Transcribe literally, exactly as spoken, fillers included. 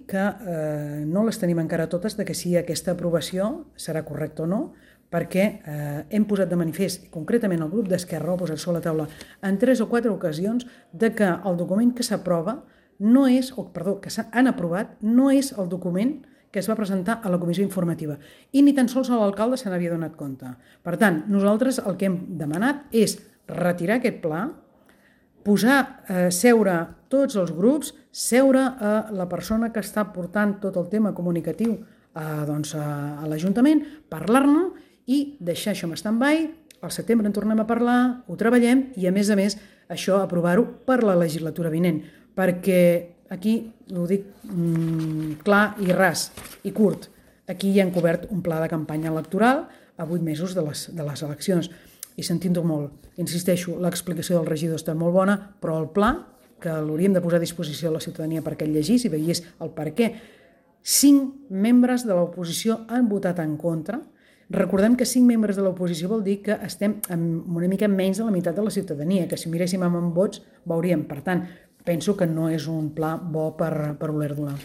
que eh, no les tenim encara totes de que si aquesta aprovació serà correcta o no, perquè eh, hem posat de manifest, concretament el grup d'Esquerra ho ha posat sobre la taula en tres o quatre ocasions, de que el document que s'aprova no és, o perdó, que s'han aprovat, no és el document que es va presentar a la comissió informativa. I ni tan sols l'alcalde se n'havia donat compte. Per tant, nosaltres el que hem demanat és retirar aquest pla, posar, eh, seure tots els grups, seure a la persona que està portant tot el tema comunicatiu a, doncs, a, a l'Ajuntament, parlar-ne i deixar això en stand-by. Al setembre en tornem a parlar, ho treballem i, a més a més, això aprovar-ho per la legislatura vinent, perquè aquí, ho dic mmm, clar i ras i curt, aquí ja han cobert un pla de campanya electoral a vuit mesos de les, de les eleccions. I sentint-ho molt, insisteixo, l'explicació del regidor està molt bona, però el pla, que l'hauríem de posar a disposició de la ciutadania perquè el llegís i veiés el per què, cinc membres de l'oposició han votat en contra. Recordem que cinc membres de l'oposició vol dir que estem amb una mica menys de la meitat de la ciutadania, que si miréssim amb vots veuríem. Per tant, penso que no és un pla bo per, per voler donar.